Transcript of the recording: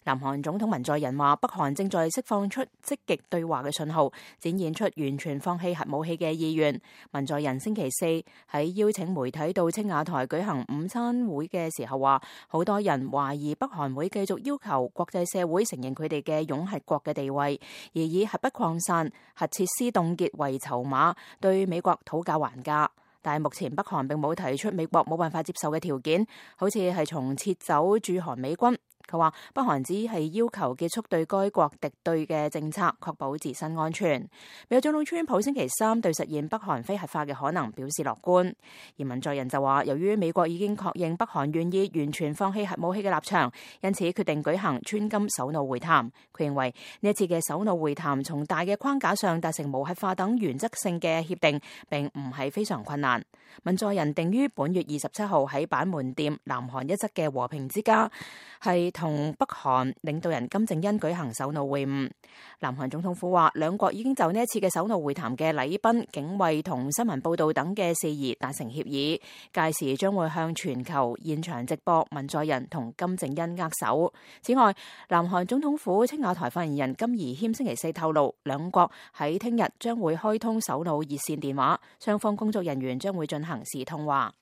南韓總統文在寅話，北韓正在釋放出積極對話嘅信號，展現出完全放棄核武器嘅意願。文在寅星期四喺邀請媒體到青瓦台舉行午餐會嘅時候話，好多人懷疑北韓會繼續要求國際社會承認佢哋嘅擁核國嘅地位，而以核不擴散、核設施凍結為籌碼，對美國討價還價。但係目前北韓並冇提出美國冇辦法接受嘅條件，好似係從撤走駐韓美軍。佢話北韓只係要求結束對該國敵對嘅政策，確保自身安全。美國總統川普星期三對實現北韓非核化嘅可能表示樂觀，而文在寅就話，由於美國已經確認北韓願意完全放棄核武器嘅立場，因此決定舉行川金首腦會談。佢認為呢一次嘅首腦會談從大嘅框架上達成無核化等原則性嘅協定，並唔係非常困難。文在寅定於本月27號喺板門店南韓一側嘅和平之家係同北韓領導人金正恩舉行首腦會晤。南韓總統府話，兩國已經就呢一次嘅首腦會談嘅禮賓、警衛同新聞報道等嘅事宜達成協議，屆時將會向全球現場直播文在寅同金正恩握手。此外，南韓總統府青瓦台發言人金宜謙星期四透露，兩國喺聽日將會開通首腦熱線電話，雙方工作人員將會進行視通話。